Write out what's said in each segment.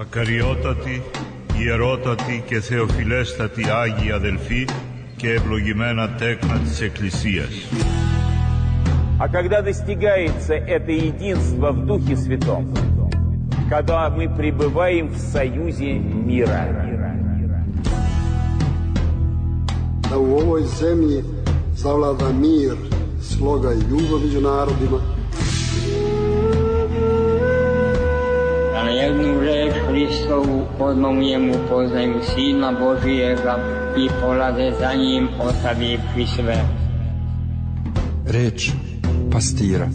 Ακαριότατοι, ιερότατοι και θεοφιλέστατοι Άγιοι αδελφοί και ευλογημένα τέκνα της Εκκλησίας. А когда достигается это единство в Духе Святом, когда мы пребываем в союзе мира. Da u ovoj zemlji zavlada mir, sloga i ljubav među narodima. Da na jednu reč Hristovu odmah poznaju Sina Božijega i polaze za njim ostavivši sve. Reč pastira.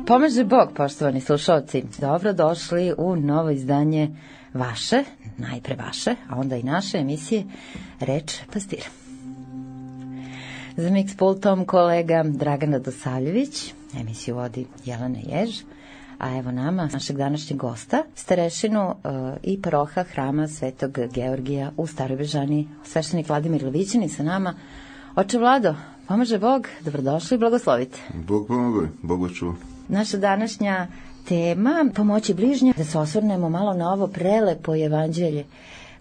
Pomaže Bog, poštovani slušalci. Dobro došli u novo izdanje vaše, najpre vaše, a onda i naše emisije Reč pastira. Za mix pultom kolega Dragana Dosavljević, emisiju vodi Jelena Jež, a evo nama, našeg današnjeg gosta, starešinu i paroha hrama Svetog Georgija u Staroj Bežani, sveštenik Vladimir Levićin i sa nama. Oče Vlado, pomaže Bog, dobrodošli i blagoslovite. Bog pomogoj, Bog vas čuva. Naša današnja tema, pomoći bližnje, da se osvrnemo malo na ovo prelepo evanđelje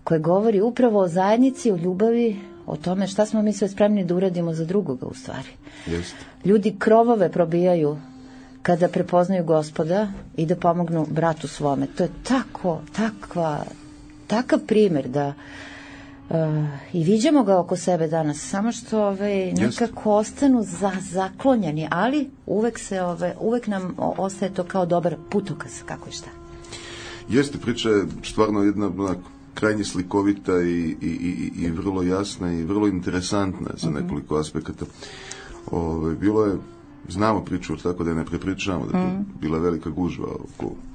koje govori upravo o zajednici, o ljubavi, o tome šta smo mi sve spremni da uradimo za drugoga u stvari. Jeste. Ljudi krovove probijaju kada prepoznaju Gospoda i da pomognu bratu svome. To je takav primjer da i viđamo ga oko sebe danas, samo što nekako ostanu zaklonjeni, ali uvek nam ostaje to kao dobar putokaz, kako i šta. Jeste, priča je stvarno jedna krajnje slikovita i vrlo jasna i vrlo interesantna za nekoliko aspekata. Bilo je, znamo priču, tako da je ne prepričavamo, da je bila velika gužva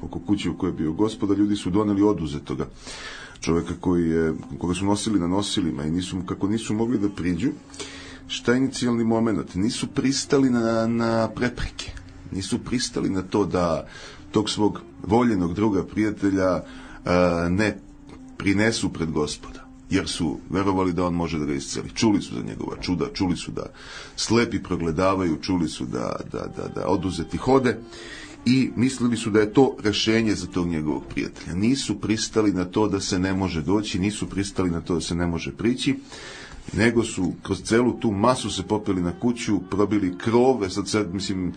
oko kuće u kojoj je bio Gospoda, ljudi su doneli oduzetoga čovjeka koga su nosili na nosilima i kako nisu mogli da priđu. Šta je inicijalni moment? Nisu pristali na prepreke. Nisu pristali na to da tog svog voljenog druga, prijatelja ne prinesu pred Gospoda. Jer su verovali da on može da ga isceli. Čuli su za njegova čuda, čuli su da slepi progledavaju, čuli su da oduzeti hode. I mislili su da je to rešenje za tog njegovog prijatelja. Nisu pristali na to da se ne može doći, nisu pristali na to da se ne može prići, nego su kroz celu tu masu se popeli na kuću, probili krove, sad mislim,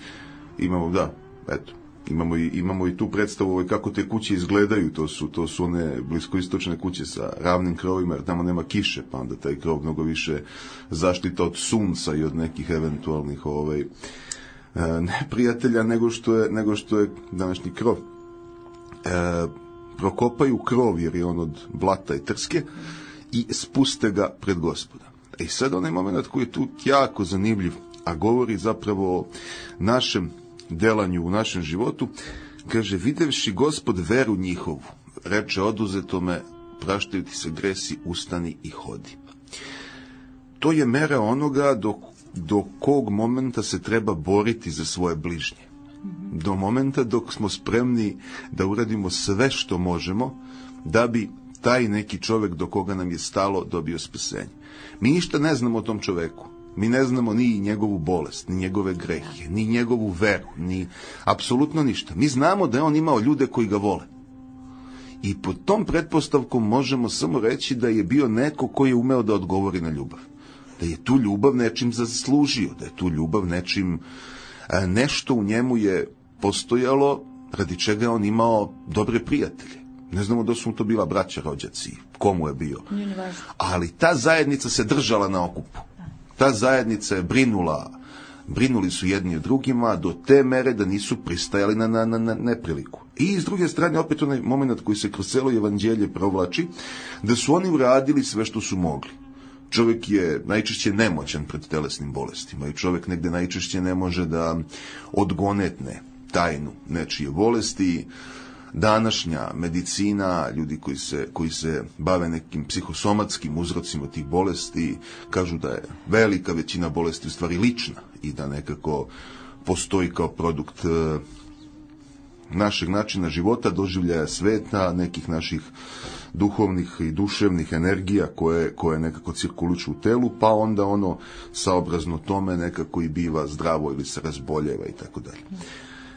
imamo i tu predstavu kako te kuće izgledaju, to su one bliskoistočne kuće sa ravnim krovima, jer tamo nema kiše, pa onda taj krov mnogo više zaštita od sunca i od nekih eventualnih neprijatelja nego što je današnji krov. Prokopaju krov jer je on od blata i trske i spuste ga pred Gospoda. I sad onaj moment koji je tu jako zanimljiv, a govori zapravo o našem delanju u našem životu, kaže, videvši Gospod veru njihovu, reče oduzetome, praštaju ti se gresi, ustani i hodi. To je mera onoga do kog momenta se treba boriti za svoje bližnje. Do momenta dok smo spremni da uradimo sve što možemo da bi taj neki čovjek do koga nam je stalo dobio spasenje. Mi ništa ne znamo o tom čoveku. Mi ne znamo ni njegovu bolest, ni njegove grehe, ni njegovu veru, ni apsolutno ništa. Mi znamo da je on imao ljude koji ga vole. I pod tom pretpostavkom možemo samo reći da je bio neko koji je umeo da odgovori na ljubav. Da je tu ljubav nečim zaslužio, da je tu ljubav nešto u njemu je postojalo radi čega je on imao dobre prijatelje. Ne znamo da su mu to bila braća, rođaci, komu je bio. Ali ta zajednica se držala na okupu. Ta zajednica je brinuli su jedni o drugima do te mere da nisu pristajali na nepriliku. I s druge strane opet onaj moment koji se kroz celo evanđelje provlači, da su oni uradili sve što su mogli. Čovjek je najčešće nemoćan pred telesnim bolestima i čovjek negde najčešće ne može da odgonetne tajnu nečije bolesti. današnja medicina, ljudi koji se bave nekim psihosomatskim uzrocima tih bolesti, kažu da je velika većina bolesti u stvari lična i da nekako postoji kao produkt našeg načina života, doživljaja sveta, nekih naših duhovnih i duševnih energija koje nekako cirkuliču u telu, pa onda ono saobrazno tome nekako i biva zdravo ili se razboljeva i tako dalje.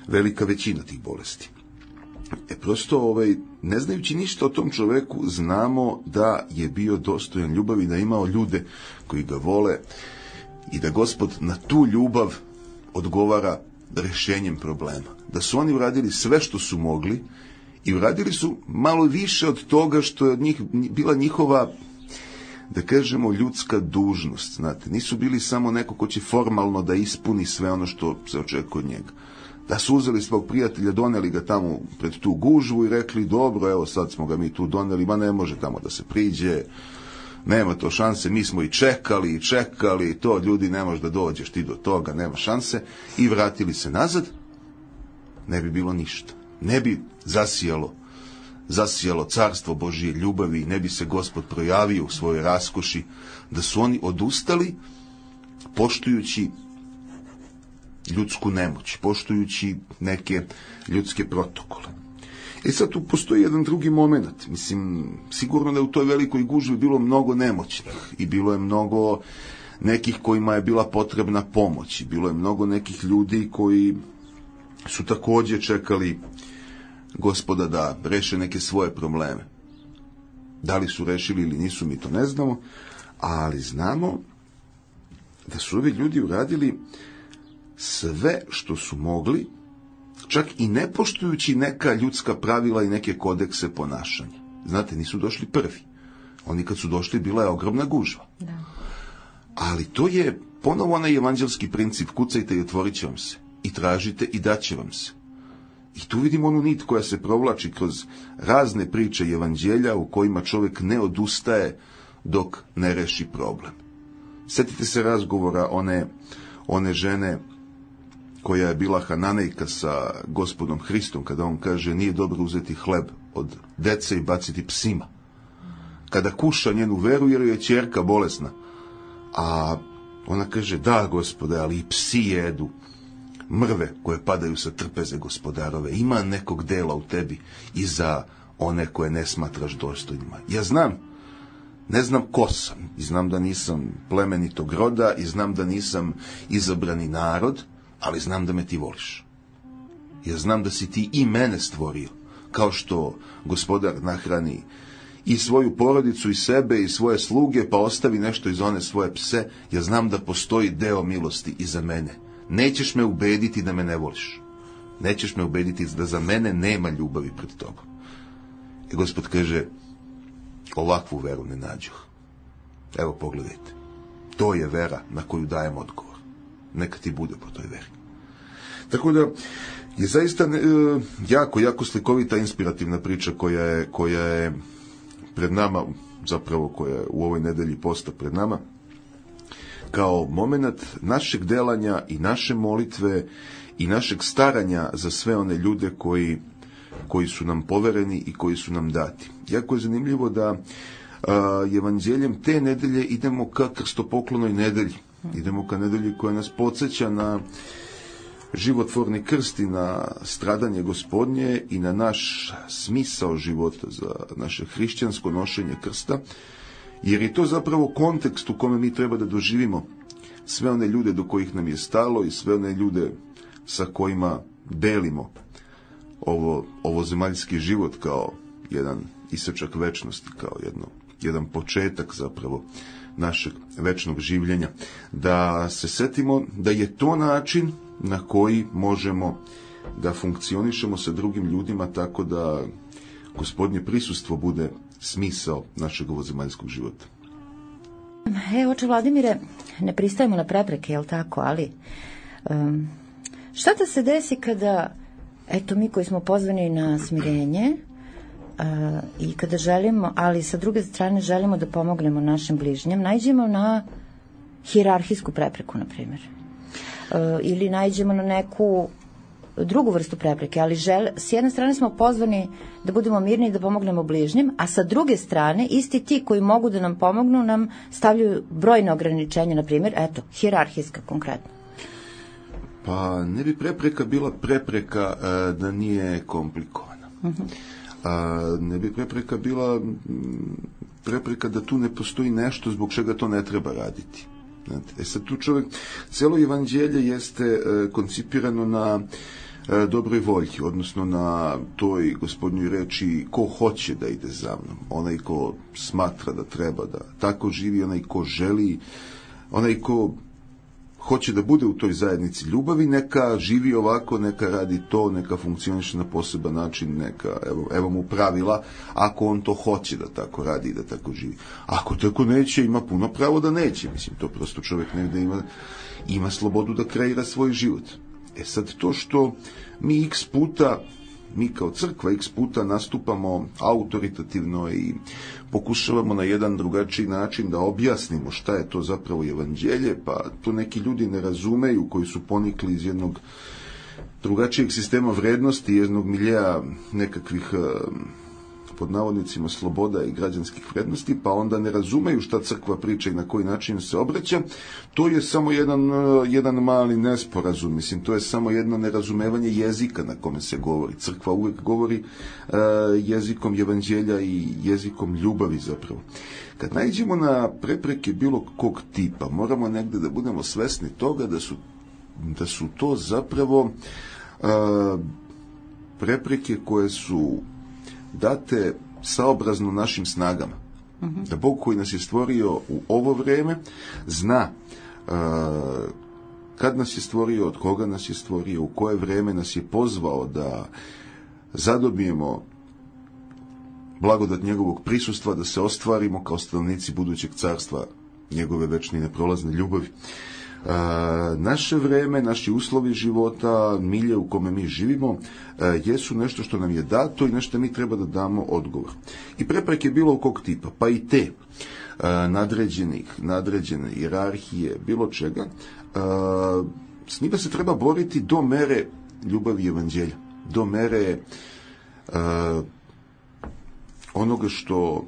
Velika većina tih bolesti. Prosto, ne znajući ništa o tom čoveku, znamo da je bio dostojan ljubavi, da je imao ljude koji ga vole i da Gospod na tu ljubav odgovara rešenjem problema. Da su oni uradili sve što su mogli i uradili su malo više od toga što je od njih bila njihova, da kažemo, ljudska dužnost. Znate, nisu bili samo neko ko će formalno da ispuni sve ono što se očekuje od njega. Da su uzeli svog prijatelja, doneli ga tamo pred tu gužvu i rekli, dobro, evo sad smo ga mi tu doneli, ma ne može tamo da se priđe, nema to šanse, mi smo i čekali, to ljudi ne može da dođeš ti do toga, nema šanse, i vratili se nazad, ne bi bilo ništa. Ne bi zasijalo carstvo Božije ljubavi, ne bi se Gospod projavio u svojoj raskoši, da su oni odustali poštujući ljudsku nemoć, poštujući neke ljudske protokole. I sad tu postoji jedan drugi moment. Mislim, sigurno da je u toj velikoj gužvi bilo mnogo nemoćnih i bilo je mnogo nekih kojima je bila potrebna pomoć i bilo je mnogo nekih ljudi koji su također čekali Gospoda da reše neke svoje probleme. Da li su rešili ili nisu, mi to ne znamo, ali znamo da su ovi ljudi uradili sve što su mogli, čak i ne poštujući neka ljudska pravila i neke kodekse ponašanja. Znate, nisu došli prvi. Oni kad su došli, bila je ogromna gužva. Da. Ali to je ponovo onaj evanđelski princip, kucajte i otvorit će vam se. I tražite i daće vam se. I tu vidimo onu nit koja se provlači kroz razne priče i evanđelja u kojima čovjek ne odustaje dok ne reši problem. Sjetite se razgovora one žene koja je bila Hananejka sa Gospodom Hristom, kada on kaže nije dobro uzeti hleb od dece i baciti psima. Kada kuša njenu veru jer je ćerka bolesna. A ona kaže, da Gospode, ali i psi jedu mrve koje padaju sa trpeze Gospodarove. Ima nekog dela u tebi i za one koje ne smatraš dostojnima. Ja ne znam ko sam i znam da nisam plemenitog roda i znam da nisam izabrani narod, ali znam da me ti voliš. Ja znam da si ti i mene stvorio, kao što Gospodar nahrani i svoju porodicu i sebe i svoje sluge, pa ostavi nešto iz one svoje pse. Ja znam da postoji deo milosti i za mene. Nećeš me ubediti da me ne voliš. Nećeš me ubediti da za mene nema ljubavi pred tobom. I Gospod kaže, ovakvu veru ne nađoh. Evo pogledajte. To je vera na koju dajem odgovor. Neka ti bude po toj veri. Tako da je zaista jako slikovita, inspirativna priča koja je pred nama, zapravo koja je u ovoj nedelji posta pred nama, kao moment našeg delanja i naše molitve i našeg staranja za sve one ljude koji su nam povereni i koji su nam dati. Jako je zanimljivo da evanđeljem te nedelje idemo ka krstopoklonoj nedelji. Idemo ka nedelji koja nas podsjeća na životvorni krst i na stradanje Gospodnje i na naš smisao života, za naše hrišćansko nošenje krsta, jer je to zapravo kontekst u kome mi treba da doživimo sve one ljude do kojih nam je stalo i sve one ljude sa kojima delimo ovo zemaljski život kao jedan isečak večnosti, kao jedan početak zapravo našeg večnog življenja. Da se setimo da je to način na koji možemo da funkcionišemo sa drugim ljudima tako da Gospodnje prisustvo bude smisao našeg ovozemaljskog života. Oče Vladimire, ne pristajemo na prepreke, jel tako, ali šta da se desi kada, eto, mi koji smo pozvani na smirenje i kada želimo, ali sa druge strane želimo da pomognemo našem bližnjem, naiđemo na hijerarhijsku prepreku, na primjer, ili naiđemo na neku drugu vrstu prepreke, ali s jedne strane smo pozvani da budemo mirni i da pomognemo bližnjim, a sa druge strane isti ti koji mogu da nam pomognu nam stavljaju brojne ograničenja, na primjer, hijerarhijska konkretno. Pa ne bi prepreka bila prepreka da nije komplikovana. Ne bi prepreka bila prepreka da tu ne postoji nešto zbog čega to ne treba raditi. Sad tu čovjek, cijelo evanđelje jeste koncipirano na dobroj volji, odnosno na toj Gospodnjoj reči ko hoće da ide za mnom, onaj ko smatra da treba da tako živi, onaj ko želi, onaj ko hoće da bude u toj zajednici ljubavi, neka živi ovako, neka radi to, neka funkcioniše na poseban način, neka, evo mu pravila, ako on to hoće da tako radi i da tako živi. Ako tako neće, ima puno pravo da neće, mislim, to prosto čovjek negde ima slobodu da kreira svoj život. Sad to što mi mi kao crkva x puta nastupamo autoritativno i pokušavamo na jedan drugačiji način da objasnimo šta je to zapravo evanđelje, pa to neki ljudi ne razumeju koji su ponikli iz jednog drugačijeg sistema vrednosti, jednog miljeja nekakvih pod navodnicima sloboda i građanskih vrednosti, pa onda ne razumeju šta crkva priča i na koji način se obraća. To je samo jedan mali nesporazum, mislim, to je samo jedno nerazumevanje jezika na kome se govori. Crkva uvijek govori jezikom evanđelja i jezikom ljubavi zapravo. Kad naiđemo na prepreke bilo kog tipa, moramo negde da budemo svesni toga da su to zapravo prepreke koje su date saobrazno našim snagama. Da Bog koji nas je stvorio u ovo vreme zna kad nas je stvorio, od koga nas je stvorio, u koje vreme nas je pozvao da zadobijemo blagodat njegovog prisustva, da se ostvarimo kao stanovnici budućeg carstva njegove večne i neprolazne ljubavi. Naše vreme, naši uslovi života, milje u kome mi živimo, jesu nešto što nam je dato i nešto mi treba da damo odgovor. I prepreke bilo kog tipa, pa i te nadređene hijerarhije, bilo čega, s njima se treba boriti do mere ljubavi evanđelja, do mere onoga što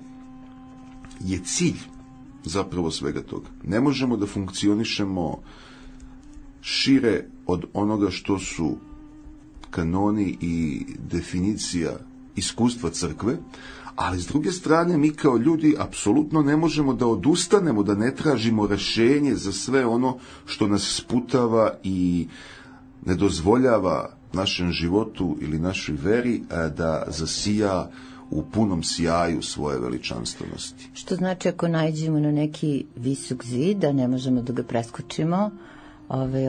je cilj zapravo svega toga. Ne možemo da funkcionišemo šire od onoga što su kanoni i definicija iskustva crkve, ali s druge strane mi kao ljudi apsolutno ne možemo da odustanemo, da ne tražimo rešenje za sve ono što nas sputava i ne dozvoljava našem životu ili našoj veri da zasija u punom sjaju svoje veličanstvenosti. Što znači ako naiđemo na neki visok zid, da ne možemo da ga preskočimo,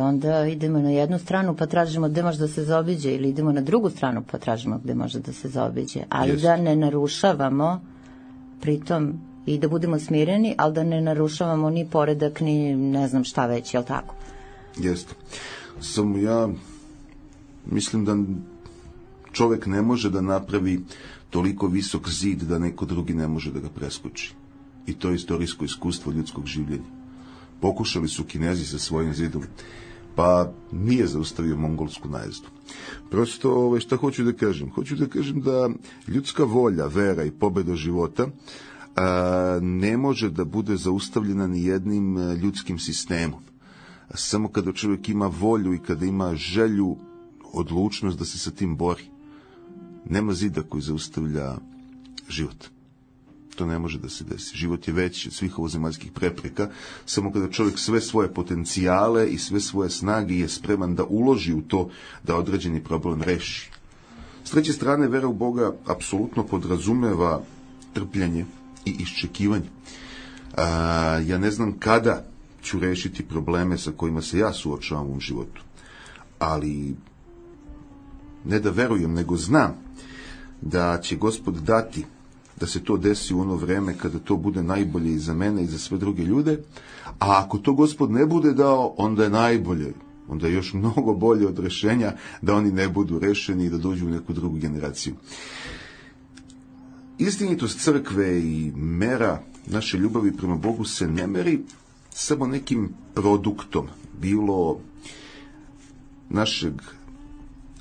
onda idemo na jednu stranu pa tražimo gde može da se zaobiđe, ili idemo na drugu stranu pa tražimo gde može da se zaobiđe. Ali da ne narušavamo pritom i da budemo smireni, ali da ne narušavamo ni poredak, ni ne znam šta već, jel tako? Jeste. Samo ja mislim da čovek ne može da napravi toliko visok zid da neko drugi ne može da ga preskoči. I to je istorijsko iskustvo ljudskog življenja. Pokušali su Kinezi sa svojim zidom, pa nije zaustavio mongolsku najezdu. Prosto, šta hoću da kažem? Hoću da kažem da ljudska volja, vera i pobeda života ne može da bude zaustavljena ni jednim ljudskim sistemom. Samo kada čovjek ima volju i kada ima želju, odlučnost da se sa tim bori. Nema zida koji zaustavlja život. To ne može da se desi. Život je veći od svih ovozemaljskih prepreka, samo kada čovjek sve svoje potencijale i sve svoje snage je spreman da uloži u to da određeni problem reši. S treće strane, vera u Boga apsolutno podrazumeva trpljenje i iščekivanje. Ja ne znam kada ću rešiti probleme sa kojima se ja suočavam u životu, ali ne da verujem, nego znam da će Gospod dati da se to desi u ono vreme kada to bude najbolje i za mene i za sve druge ljude, a ako to Gospod ne bude dao, onda je najbolje, onda je još mnogo bolje od rešenja da oni ne budu rešeni i da dođu u neku drugu generaciju. Istinitost crkve i mera naše ljubavi prema Bogu se ne meri samo nekim produktom, bilo našeg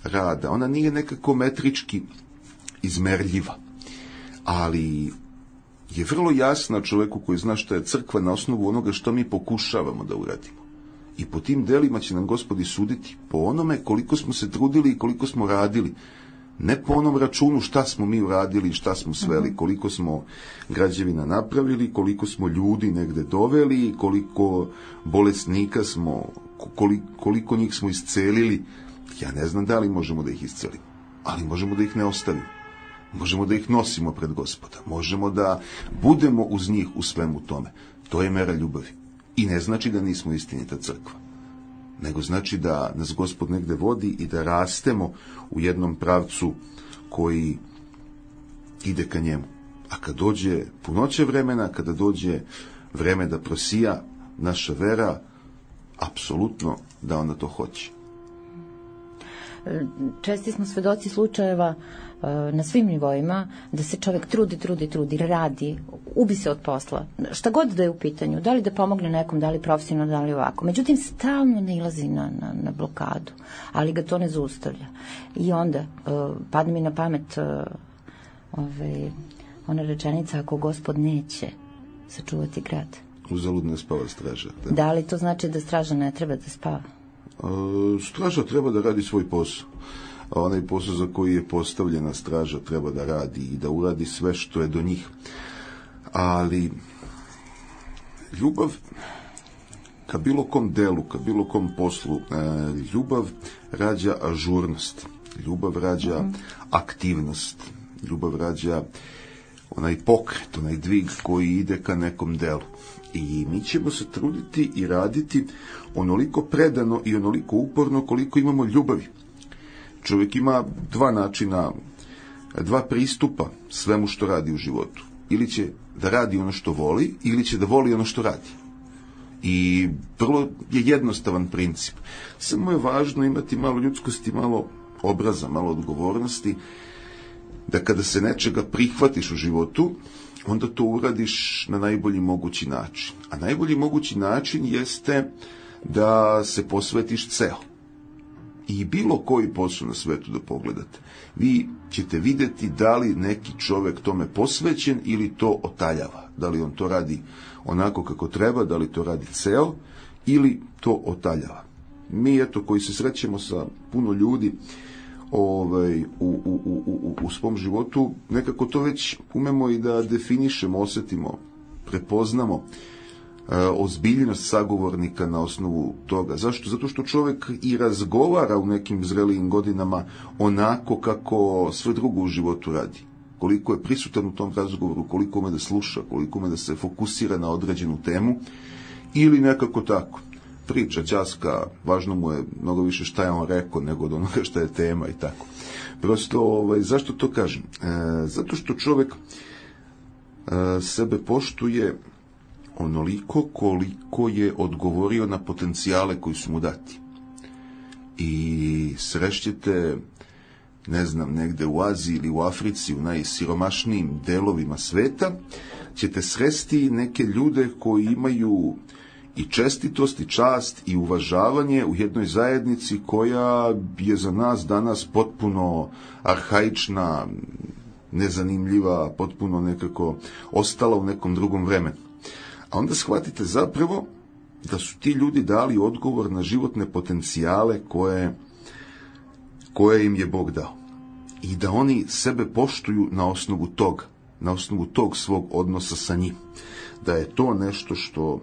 rada, ona nije nekako metrički izmerljiva, ali je vrlo jasna čovjeku koji zna šta je crkva na osnovu onoga što mi pokušavamo da uradimo. I po tim delima će nam Gospod suditi, po onome koliko smo se trudili i koliko smo radili. Ne po onom računu šta smo mi uradili, šta smo sveli, koliko smo građevina napravili, koliko smo ljudi negde doveli, koliko bolesnika smo, koliko njih smo iscelili. Ja ne znam da li možemo da ih iscelimo, ali možemo da ih ne ostavimo. Možemo da ih nosimo pred Gospoda. Možemo da budemo uz njih u svemu tome. To je mera ljubavi. I ne znači da nismo istinita crkva, nego znači da nas Gospod negde vodi i da rastemo u jednom pravcu koji ide ka njemu. A kad dođe punoće vremena, kada dođe vreme da prosija naša vera, apsolutno da ona to hoće. Česti smo svedoci slučajeva na svim nivoima da se čovjek trudi, radi, ubi se od posla. Šta god da je u pitanju, da li da pomogne nekom, da li profesionalno, da li ovako. Međutim, stalno nailazi na blokadu, ali ga to ne zaustavlja. I onda padne mi na pamet ona rečenica, ako Gospod neće sačuvati grad. Uzalud ne spava straža. Da li to znači da straža ne treba da spava? Straža treba da radi svoj posao. A onaj posao za koji je postavljena straža treba da radi i da uradi sve što je do njih. Ali ljubav ka bilo kom delu, ka bilo kom poslu, ljubav rađa ažurnost, ljubav rađa aktivnost, ljubav rađa onaj pokret, onaj dvig koji ide ka nekom delu. I mi ćemo se truditi i raditi onoliko predano i onoliko uporno koliko imamo ljubavi. Čovjek ima dva načina, dva pristupa svemu što radi u životu. Ili će da radi ono što voli, ili će da voli ono što radi. I vrlo je jednostavan princip. Samo je važno imati malo ljudskosti, malo obraza, malo odgovornosti, da kada se nečega prihvatiš u životu, onda to uradiš na najbolji mogući način. A najbolji mogući način jeste da se posvetiš ceo. I bilo koji posao na svetu da pogledate, vi ćete vidjeti da li neki čovjek tome posvećen ili to otaljava. Da li on to radi onako kako treba, da li to radi ceo ili to otaljava. Mi, eto, koji se srećemo sa puno ljudi u svom životu, nekako to već umemo i da definišemo, osjetimo, prepoznamo ozbiljnost sagovornika na osnovu toga. Zašto? Zato što čovjek i razgovara u nekim zrelijim godinama onako kako sve drugo u životu radi. Koliko je prisutan u tom razgovoru, koliko ume da sluša, koliko ume da se fokusira na određenu temu, ili nekako tako. Priča, ćaska, važno mu je mnogo više šta je on rekao nego od onoga šta je tema i tako. Prosto, zašto to kažem? Zato što čovjek sebe poštuje onoliko koliko je odgovorio na potencijale koji su mu dati. I srećete, ne znam, negde u Aziji ili u Africi, u najsiromašnijim delovima sveta, ćete sresti neke ljude koji imaju i čestitost, i čast, i uvažavanje u jednoj zajednici koja je za nas danas potpuno arhaična, nezanimljiva, potpuno nekako ostala u nekom drugom vremenu. A onda shvatite zapravo da su ti ljudi dali odgovor na životne potencijale koje im je Bog dao. I da oni sebe poštuju na osnovu tog svog odnosa sa njim. Da je to nešto što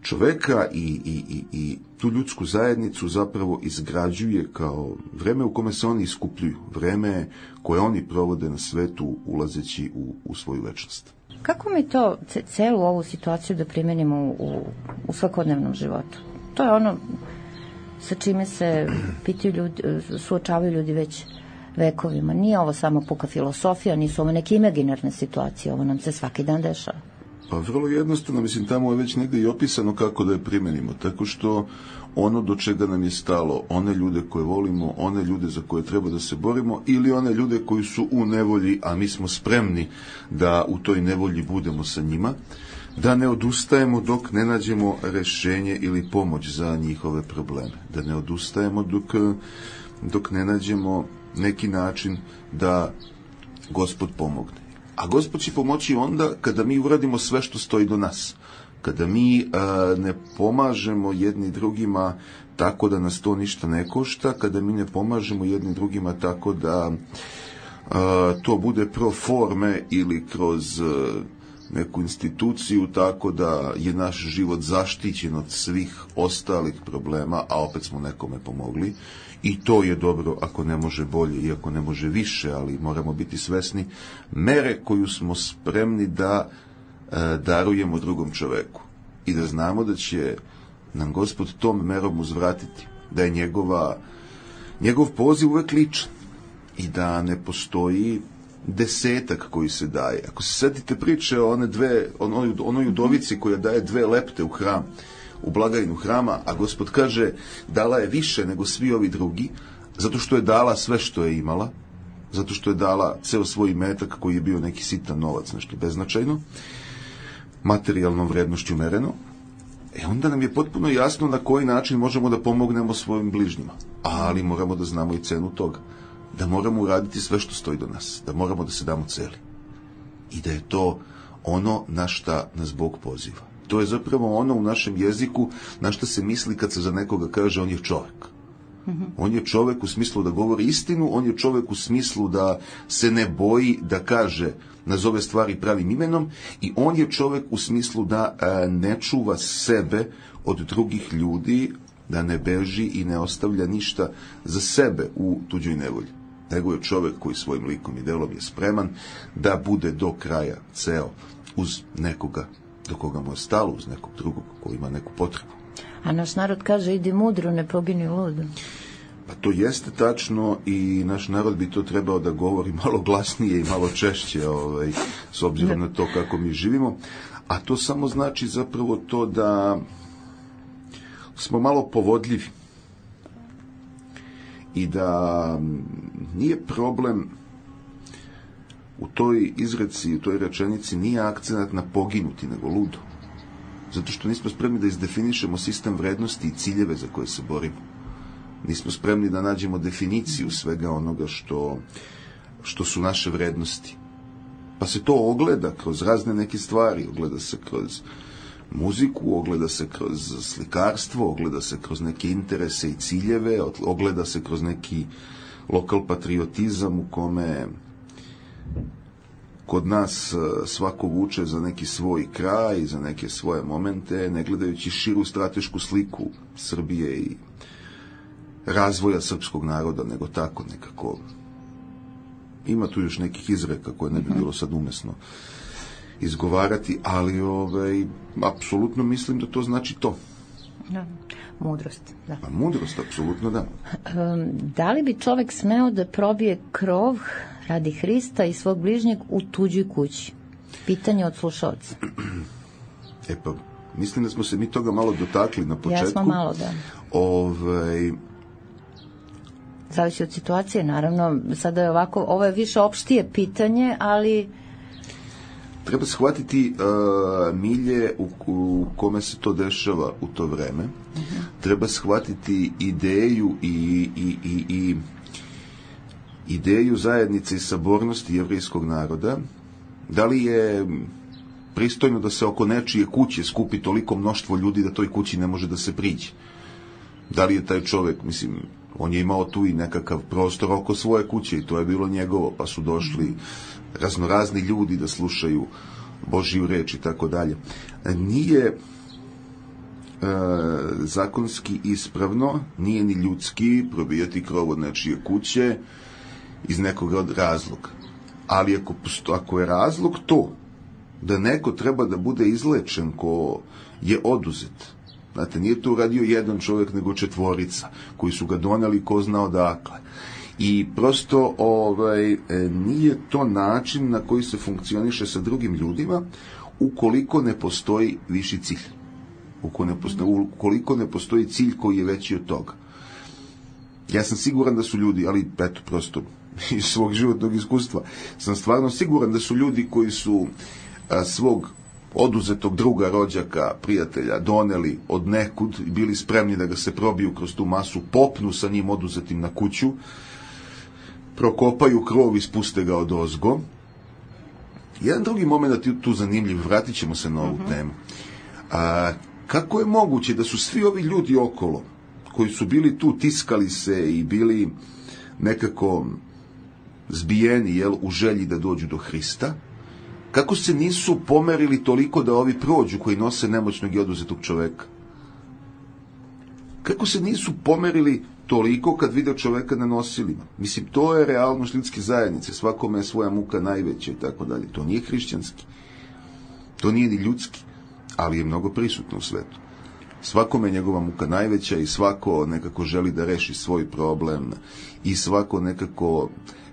čoveka i tu ljudsku zajednicu zapravo izgrađuje kao vreme u kome se oni iskupljuju, vreme koje oni provode na svetu ulazeći u svoju večnost. Kako mi to celu ovu situaciju da primenimo u svakodnevnom životu? To je ono sa čime se suočavaju ljudi već vekovima. Nije ovo samo puka filosofija, nisu ovo neke imaginarne situacije, ovo nam se svaki dan dešava. Pa vrlo jednostavno, mislim, tamo je već negdje i opisano kako da je primenimo, tako što ono do čega nam je stalo, one ljude koje volimo, one ljude za koje treba da se borimo, ili one ljude koji su u nevolji, a mi smo spremni da u toj nevolji budemo sa njima, da ne odustajemo dok ne nađemo rešenje ili pomoć za njihove probleme, da ne odustajemo dok dok ne nađemo neki način da Gospod pomogne. A Gospod će pomoći onda kada mi uradimo sve što stoji do nas. Kada mi ne pomažemo jedni drugima tako da nas to ništa ne košta, kada mi ne pomažemo jedni drugima tako da to bude pro forme ili kroz neku instituciju tako da je naš život zaštićen od svih ostalih problema, a opet smo nekome pomogli. I to je dobro ako ne može bolje i ako ne može više, ali moramo biti svesni mere koju smo spremni da darujemo drugom čoveku. I da znamo da će nam Gospod tom merom uzvratiti, da je njegov poziv uvek ličan i da ne postoji desetak koji se daje. Ako se setite priče o onoj udovici koja daje 2 lepte u hram, u blagajnu hrama, a Gospod kaže dala je više nego svi ovi drugi, zato što je dala sve što je imala, zato što je dala ceo svoj imetak koji je bio neki sitan novac, nešto beznačajno, materijalnom vrednošću mereno, onda nam je potpuno jasno na koji način možemo da pomognemo svojim bližnjima. Ali moramo da znamo i cenu toga. Da moramo uraditi sve što stoji do nas. Da moramo da se damo celi. I da je to ono na šta nas Bog poziva. To je zapravo ono u našem jeziku na šta se misli kad se za nekoga kaže on je čovek. On je čovek u smislu da govori istinu, on je čovek u smislu da se ne boji da kaže, nazove stvari pravim imenom, i on je čovek u smislu da ne čuva sebe od drugih ljudi, da ne beži i ne ostavlja ništa za sebe u tuđoj nevolji. Nego je čovek koji svojim likom i delom je spreman da bude do kraja ceo uz nekoga do koga mu je stalo, uz nekog drugog koji ima neku potrebu. A naš narod kaže idi mudro, ne pogini ludo. Pa to jeste tačno i naš narod bi to trebao da govori malo glasnije i malo češće, s obzirom na to kako mi živimo. A to samo znači zapravo to da smo malo povodljivi i da nije problem u toj izreci, u toj rečenici nije akcenat na poginuti, nego ludo. Zato što nismo spremni da izdefinišemo sistem vrednosti i ciljeve za koje se borimo. Nismo spremni da nađemo definiciju svega onoga što su naše vrednosti. Pa se to ogleda kroz razne neke stvari, ogleda se kroz muziku, ogleda se kroz slikarstvo, ogleda se kroz neke interese i ciljeve, ogleda se kroz neki lokal patriotizam u kome kod nas svako vuče za neki svoj kraj, za neke svoje momente, ne gledajući širu stratešku sliku Srbije i razvoja srpskog naroda, nego tako nekako. Ima tu još nekih izreka koje ne bi bilo sad umesno izgovarati, ali apsolutno mislim da to znači to. Da, mudrost. Da. Pa mudrost, apsolutno da. Da li bi čovek smeo da probije krov radi Hrista i svog bližnjeg u tuđoj kući? Pitanje od slušalca. Pa, mislim da smo se mi toga malo dotakli na početku. Ja smo malo, da. Zavisi od situacije, naravno. Sada je ovako, ovo je više opštije pitanje, ali treba shvatiti milje u kome se to dešava u to vreme. Treba shvatiti ideju i ideju zajednice i sabornosti jevrejskog naroda. Da li je pristojno da se oko nečije kuće skupi toliko mnoštvo ljudi da toj kući ne može da se priđe? Da li je taj čovek, mislim, on je imao tu i nekakav prostor oko svoje kuće i to je bilo njegovo, pa su došli raznorazni ljudi da slušaju Božju reč i tako dalje. Nije zakonski ispravno, nije ni ljudski probijati krov od nečije kuće iz nekog razloga. Ali ako je razlog to da neko treba da bude izlečen ko je oduzet, znate, nije to uradio jedan čovjek nego 4 koji su ga doneli ko zna odakle. I prosto nije to način na koji se funkcioniše sa drugim ljudima ukoliko ne postoji viši cilj. Ukoliko ne postoji cilj koji je veći od toga. Ja sam siguran da su ljudi, ali eto prosto iz svog životnog iskustva, sam stvarno siguran da su ljudi koji su svog oduzetog druga, rođaka, prijatelja doneli od nekud i bili spremni da ga se probiju kroz tu masu, popnu sa njim oduzetim na kuću, prokopaju krov i spuste ga odozgo. Jedan drugi moment je tu zanimljiv, vratit ćemo se na ovu temu. Kako je moguće da su svi ovi ljudi okolo, koji su bili tu, tiskali se i bili nekako zbijeni u želji da dođu do Hrista, kako se nisu pomerili toliko da ovi prođu koji nose nemoćnog i oduzetog čoveka? Kako se nisu pomerili toliko kad vide čoveka na nosilima? Mislim, to je realnost ljudske zajednice, svakome je svoja muka najveća i tako dalje. To nije hrišćanski, to nije ni ljudski, ali je mnogo prisutno u svetu. Svakome je njegova muka najveća i svako nekako želi da reši svoj problem i svako nekako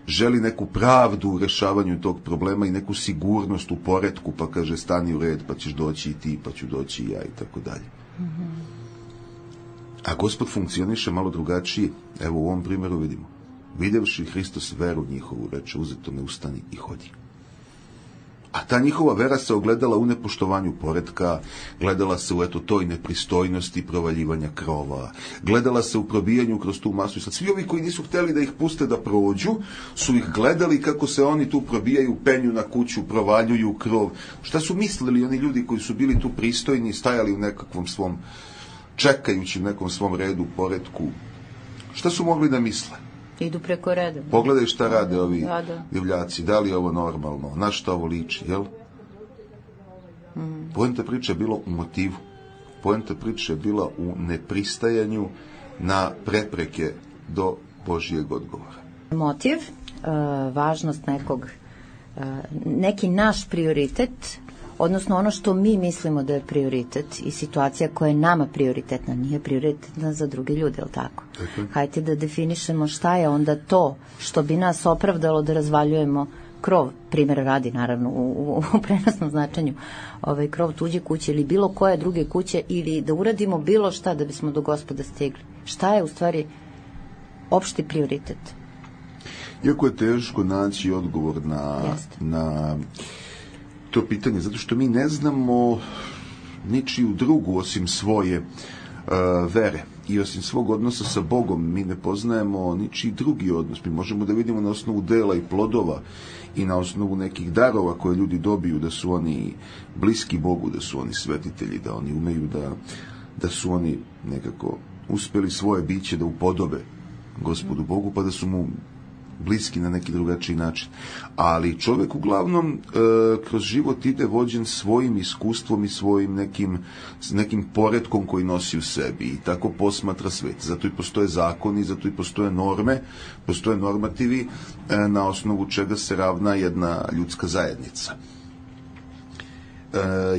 želi neku pravdu u rešavanju tog problema i neku sigurnost u poretku, pa kaže stani u red, pa ćeš doći i ti, pa ću doći i ja i tako dalje. A Gospod funkcioniše malo drugačije. Evo u ovom primjeru vidimo. Videvši Hristos veru njihovu, reče uzetome ustani i hodi. A ta njihova vera se ogledala u nepoštovanju poretka, gledala se u toj nepristojnosti provaljivanja krova, gledala se u probijanju kroz tu masu. I sad svi ovi koji nisu hteli da ih puste da prođu, su ih gledali kako se oni tu probijaju, penju na kuću, provaljuju krov. Šta su mislili oni ljudi koji su bili tu pristojni, stajali u nekakvom svom, čekajući u nekom svom redu, poretku? Šta su mogli da misle? Idu preko reda. Pogledaj šta rade ovi divljaci, da li je ovo normalno, na šta ovo liči, jel? Poenta priče je bila u motivu. Poenta priče je bila u nepristajanju na prepreke do Božijeg odgovora. Motiv, važnost nekog, neki naš prioritet, odnosno ono što mi mislimo da je prioritet i situacija koja je nama prioritetna, nije prioritetna za druge ljude, je li tako? Hajde da definišemo šta je onda to što bi nas opravdalo da razvaljujemo krov, primjer radi naravno u prenosnom značenju, krov tuđe kuće ili bilo koje druge kuće, ili da uradimo bilo šta da bismo do Gospoda stigli. Šta je u stvari opšti prioritet? Iako je teško naći odgovor na to pitanje, zato što mi ne znamo ničiju drugu osim svoje vere i osim svog odnosa sa Bogom. Mi ne poznajemo ničiji drugi odnos. Mi možemo da vidimo na osnovu dela i plodova i na osnovu nekih darova koje ljudi dobiju, da su oni bliski Bogu, da su oni svetitelji, da oni umeju da su oni nekako uspeli svoje biće da upodobe Gospodu Bogu, pa da su mu bliski na neki drugačiji način. Ali čovjek uglavnom kroz život ide vođen svojim iskustvom i svojim nekim poretkom koji nosi u sebi i tako posmatra svet. Zato i postoje zakoni, zato i postoje norme, postoje normativi na osnovu čega se ravna jedna ljudska zajednica.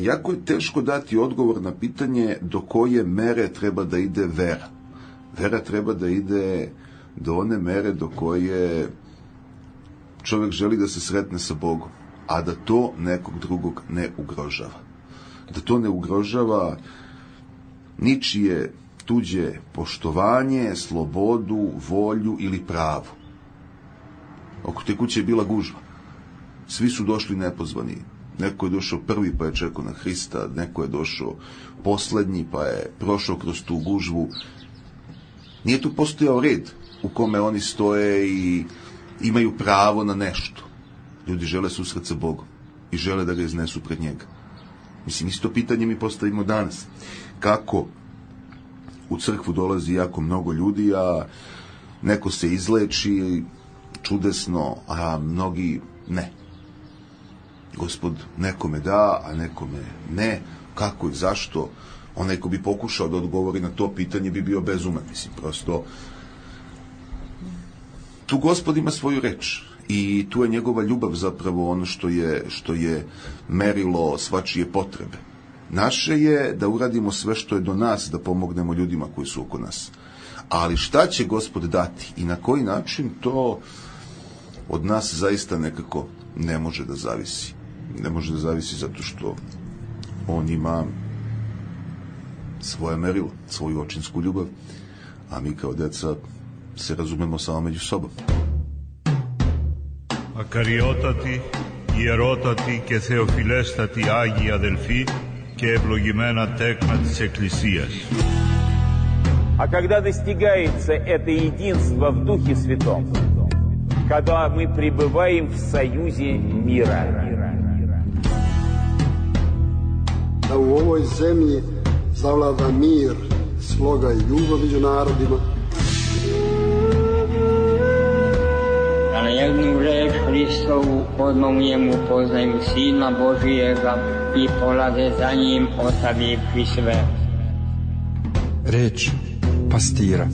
Jako je teško dati odgovor na pitanje do koje mere treba da ide vera. Vera treba da ide do one mere do koje čovjek želi da se sretne sa Bogom, a da to nekog drugog ne ugrožava. Da to ne ugrožava ničije tuđe poštovanje, slobodu, volju ili pravo. Oko te kuće je bila gužva. Svi su došli nepozvani. Neko je došao prvi pa je čekao na Hrista, neko je došao poslednji pa je prošao kroz tu gužvu. Nije tu postojao red u kome oni stoje i imaju pravo na nešto. Ljudi žele susret sa Bogom i žele da ga iznesu pred njega. Mislim, isto pitanje mi postavimo danas. Kako u crkvu dolazi jako mnogo ljudi, a neko se izleči čudesno, a mnogi ne. Gospod nekome da, a nekome ne. Kako i zašto? Onaj ko bi pokušao da odgovori na to pitanje bi bio bezuman. Mislim, prosto tu Gospod ima svoju reč i tu je njegova ljubav zapravo ono što je merilo svačije potrebe. Naše je da uradimo sve što je do nas, da pomognemo ljudima koji su oko nas. Ali šta će Gospod dati i na koji način, to od nas zaista nekako ne može da zavisi. Ne može da zavisi zato što on ima svoje merilo, svoju očinsku ljubav, a mi kao deca se razumemo samo među sobom. Ακαριότατη, ιερότατοι και θεοφιλέστατοι Άγιοι αδελφοί και ευλογημένα τέκνα της Εκκλησίας. А когда достигается это единство в Духе Святом, когда мы пребываем в союзе мира. Da u ovoj zemlji zavlada mir, sloga i ljubav među narodima. Da na jednu reč Hristovu odmah u njemu poznaju Sina Božijega i polaze za njim ostavivši sve. Reč pastira.